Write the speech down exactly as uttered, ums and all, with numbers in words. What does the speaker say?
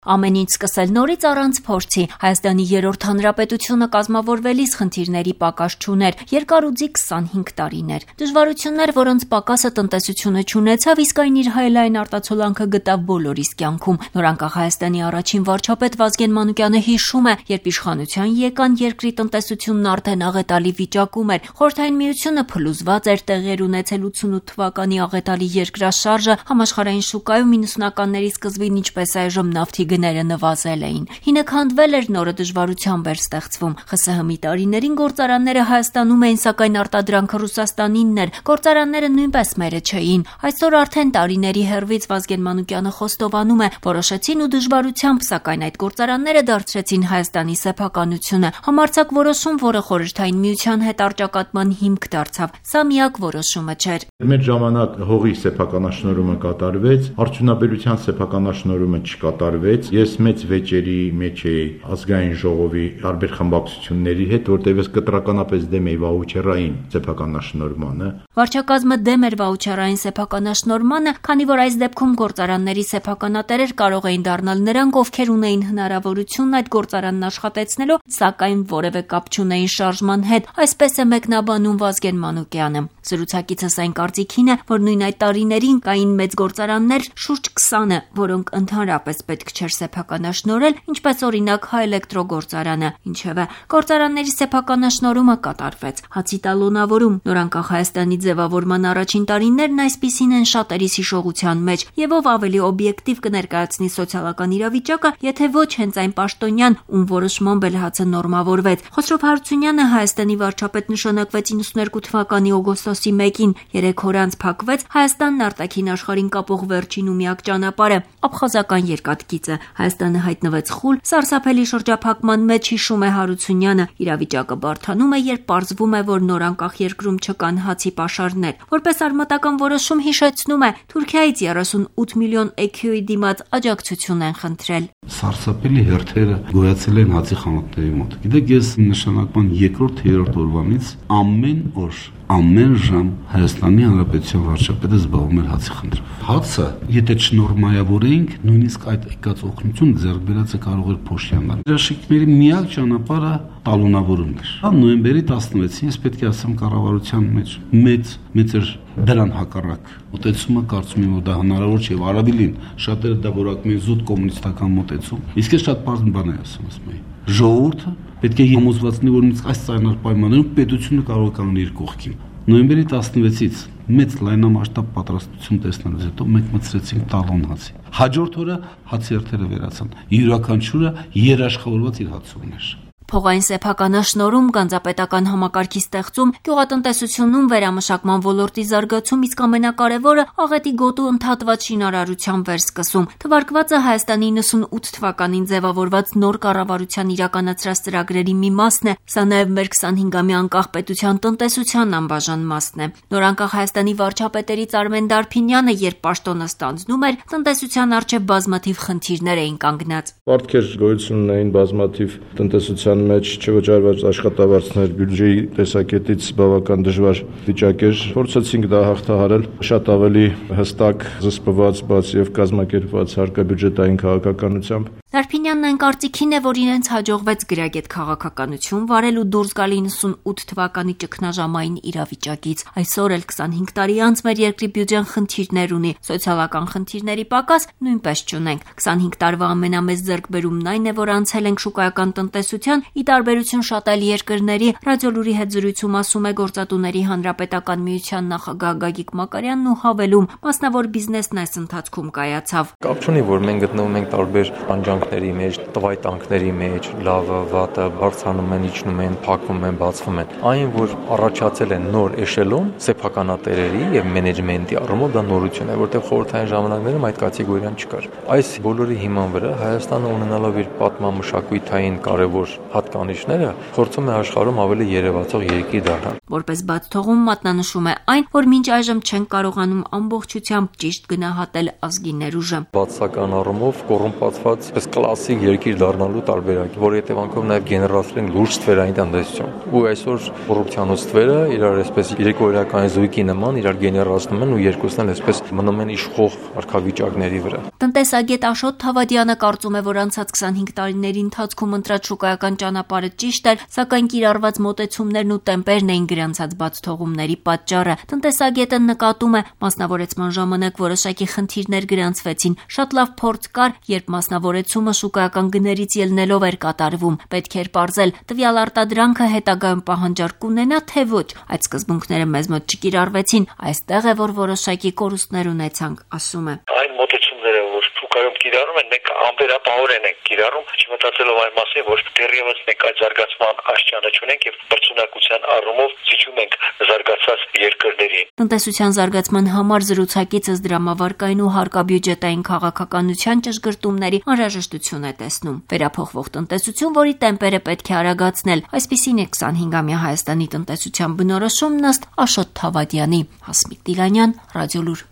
Ամեն ինչ սկսել նորից առանց փորձի։ Հայաստանի երրորդ հանրապետությունը կազմավորվելիս խնդիրների պակաս չուներ, երկար ու ձիգ քսանհինգ տարիներ։ Դժվարություններ, որոնց պակասը տնտեսությունը չունեցավ, իսկ այն իր հայելային արտացոլանքը գտավ բոլորիս կյանքում։ Նորանկախ Հայաստանի առաջին վարչապետ Վազգեն Մանուկյանը հիշում է, երբ իշխանության եկան, երկրի տնտեսությունն արդեն աղետալի վիճակում էր։ Խորհրդային Միությունը փլուզված էր, տեղեր ունեցել ութսունութ թվականի աղետալի երկրաշարժը, համաշխարհային շուկայում իննսունականների սկզբին, ինչպես այժմ նավթի գները նվազել էին։ Հինը քանդվել էր, նորը դժվարությամբ էր ստեղծվում։ ԽՍՀՄ-ի տարիներին գործարանները Հայաստանում էին, սակայն արտադրանքը Ռուսաստանինն էր։ Գործարանները նույնպես մերը չէին։ Այսօր արդեն տարիների հեռվից Վազգեն Մանուկյանը խոստովանում է, որոշեցին ու դժվարությամբ, սակայն այդ գործարանները դարձրեցին Հայաստանի սեփականությունը։ Համարձակ որոշում, որը Խորհրդային Միության հետ առճակատման հիմք դարձավ։ Սա միակ որոշումը չէր։ Մեր ժամանակ հողի սեփականաշնորհումը կատարվեց, արդյունաբերության սեփականաշնորհումը չկատարվեց։ Ես մեծ վեճերի մեջ էի ազգային ժողովի տարբեր խմբակցությունների հետ, որտեղ ես կտրականապես դեմ էի վաուչերային սեփականաշնորհմանը։ Վարչակազմը դեմ էր վաուչերային սեփականաշնորհմանը, քանի որ այս դեպքում գործարանների սեփականատերեր կարող էին դառնալ նրանք, ովքեր ունեին հնարավորություն այդ գործարանն աշխատեցնելու, սակայն որևէ կապ չունեին շարժման հետ։ Այսպես է մեկնաբանում Վազգեն Մանուկյանը։ Զրուցակիցս այն կարծիքին է, որ նույն այդ տարիներին կային մեծ գործարաններ, շուրջ քսանը, որոնք ընդհանրապես պետք չէր սեփականաշնորհել, ինչպես օրինակ Հայէլեկտրոգործարանը։ Ինչևէ, գործարանների սեփականաշնորհումը կատարվեց։ Հացի տալոնավորում, նորանկախ Հայաստանի ձևավորման առաջին տարիներն այսպիսին են շատերիս հիշողության մեջ, եւ ով ավելի օբյեկտիվ կներկայացնի սոցիալական իրավիճակը, եթե ոչ հենց այն պաշտոնյան, ում որոշմամբ էլ հացը նորմավորվեց։ Խոսրով Հարությունյանը Հայաստանի վարչապետ նշանակվեց իննսուններկու թվականի օգոստոսի մեկին, երեք օր անց փակվեց Հայաստանն արտաքին աշխարհին կապող վերջին ու միակ ճանապարհը, աբխազական երկաթգիծը։ Հայաստանը հայտնվեց խուլ, սարսափելի շրջափակման մեջ, հիշում է Հարությունյանը։ Իրավիճակը բարդանում է, երբ պարզվում է, որ նորանկախ երկրում չկան հացի պաշարներ։ Որպես արմատական որոշում հիշեցնում է, Թուրքիայից երեսունութ միլիոն է քյու ի դիմաց աջակցություն են խնդրել։ Սարսափելի հերթերը գոյացել են հացի խանութների մոտ։ Գիտեք, ես նշանակման երկրորդ, երրորդ օրվանից ամեն օր, ամեն ժամ Հայաստանի Հանրապետության վարչապետը զբաղվում էր հացի խնդրով։ Հացը, եթե չնորմայավորեինք, նույնիսկ այդ եկած օգնություն ձեռք բերածը կարող էր փոշիանալ։ Երաշիկների միակ ճանապարհը տալոնավորումն էր։ Նոյեմբերի տասնվեցին ես պետք է ասեմ կառավարության մեջ մեծ մեծ էր դրան հակառակ մոտեցումը, կարծում եմ, որ դա հնարավոր չէ, առավելին շատերը դա որակում են զուտ կոմունիստական մոտեցում։ Իսկ ես շատ բարձր բան եմ ասում, ասում եմ, ժողովուրդը պետք է համոզված լինի, որ նույնիսկ այս ծայրահեղ պայմաններում պետությունը կարող է կանգնել իր կողքին։ Նոյեմբերի տասնվեցից մեծ լայնամասշտաբ պատրաստություն տեսնելուց հետո մենք մտցրեցինք տալոն հացի։ Հաջորդ օրը հացի հերթերը վերացան։ Յուրաքանչյուրը երաշխավորված իր հացը ուներ։ Փողային սեփականաշնորհում, գանձապետական համակարգի ստեղծում, գյուղատնտեսությունում վերամշակման ոլորտի զարգացում, իսկ ամենակարևորը աղետի գոտու ընդհատված շինարարության վերսկսում։ Թվարկվածը Հայաստանի իննսունութ թվականին ձևավորված նոր կառավարության իրականացրած ծրագրերի մի մասն է, սա նաև մեր քսանհինգամյա անկախ պետության տնտեսության անբաժան մասն է։ Նորանկախ Հայաստանի վարչապետերից Արմեն Դարփինյանը, երբ պաշտոնը ստանձնում էր, տնտեսության առջև բազմաթիվ խնդիրներ էին կանգնած։ Պարտքեր գոյություն ունեին բազմաթիվ տնտեսության մեջ չվճարված աշխատավարձներ, բյուջեի տեսակետից բավական դժվար վիճակ էր։ Փորձեցինք դա հաղթահարել շատ ավելի հստակ, զսպված, բաց եւ կազմակերպված հարկաբյուջետային քաղաքականությամբ։ Դարփինյանն այն կարծիքին է, որ իրենց հաջողվեց գրագետ քաղաքականություն վարել ու դուրս գալ իննսունութ թվականի ճգնաժամային իրավիճակից։ Այսօր էլ քսանհինգ տարի անց մեր երկրի բյուջեն խնդիրներ ունի, սոցիալական խնդիրների պակաս նույնպես չունենք։ քսանհինգ տարվա ամենամեծ ձեռքբերումն այն է, որ անցել ենք շուկայական տնտեսության, ի տարբերություն շատ այլ երկրների։ Ռադիոլուրի հետ զրույցում ասում է Գործատուների Հանրապետական միության նախագահ Գագիկ Մակարյանն ու հավելում, մասնավոր բիզնեսն այս ընթացքում կայացավ։ Կապ չունի, որ մենք գտնվում ենք տարբեր պանջանքների մեջ, տվայտանքների մեջ, լավը, վատը, բարձրանում են, իջնում են, փակվում են, բացվում են։ Այն, որ առաջացել են նոր էշելոն սեփականատերերի եւ մենեջմենտի առումով, դա նորություն է, որտեղ խորհրդային ժամանակներում այդ կատեգորիան չկար։ Այս բոլորի հիման վրա Հայաստանը ունենալով իր պատմամշակութային կարևոր հատկանիշները, փորձում է աշխարհում ավելի երևացող երկիր դառնալ։ Որպես բաց թողում մատնանշում է այն, որ մինչ այժմ չեն կարողանում ամբողջությամբ ճիշտ գնահատել ազգի ներուժը։ Բացական առումով կոռումպացված, պես կլասիկ երկիր դառնալու տարբերակ, որի հետևանքով նաև գեներացել են լուրջ ստվերային տնտեսություն։ Ու այսօր կոռուպցիան ու ստվերը իրար այսպես երկօրյական զույգի նման իրար գեներացնում են ու երկուսն էլ այսպես մնում են իշխող կարգավիճակների վրա։ Տնտեսագետ Աշոտ Թավադյանը կարծում է, որ անցած քսանհինգ տարիների ընթացքում ընտրած շուկայական ճանապարհը ճիշտ էր, սակայն կիրառված մոտեցումներն ու տեմպերն էին գրանցած բացթողումների պատճառը։ Տնտեսագետը նկատում է, մասնավորեցման ժամանակ որոշակի խնդիրներ գրանցվեցին։ Շատ լավ փորձ կար, երբ մասնավորեցումը շուկայական գներից ելնելով էր կատարվում։ Պետք էր պարզել, տվյալ արտադրանքը հետագայում պահանջարկ կունենա, թե ոչ։ Այդ սկզբունքները մեզ մոտ չկիրառվեցին։ Այստեղ է, որ որոշակի կորուստներ ունեցանք, ասում է։ Այն մոտեցումները, որ շուկայում կիրառում են, մենք անվերապահորեն ենք կիրառում, չմտածելով այն մասին, որ դեռևս մենք այդ զարգացման աշխարհը չունենք եւ բարձունակության առումով զիջում ենք զարգացած երկրներին։ Տնտեսության զարգացման համար զրուցակիցս դրամավարկային ու հարկաբյուջետային քաղաքականության ճշգրտումների անհրաժեշտություն է տեսնում։ Վերափոխվող տնտեսություն, որի տեմպերը պետք է արագացնել, այսպիսին է քսանհինգամյա Հայաստանի տնտեսության բնորոշումն ըստ Աշոտ Թավադյանի։ Հասմիկ Տիլանյան, Ռադիոլուր։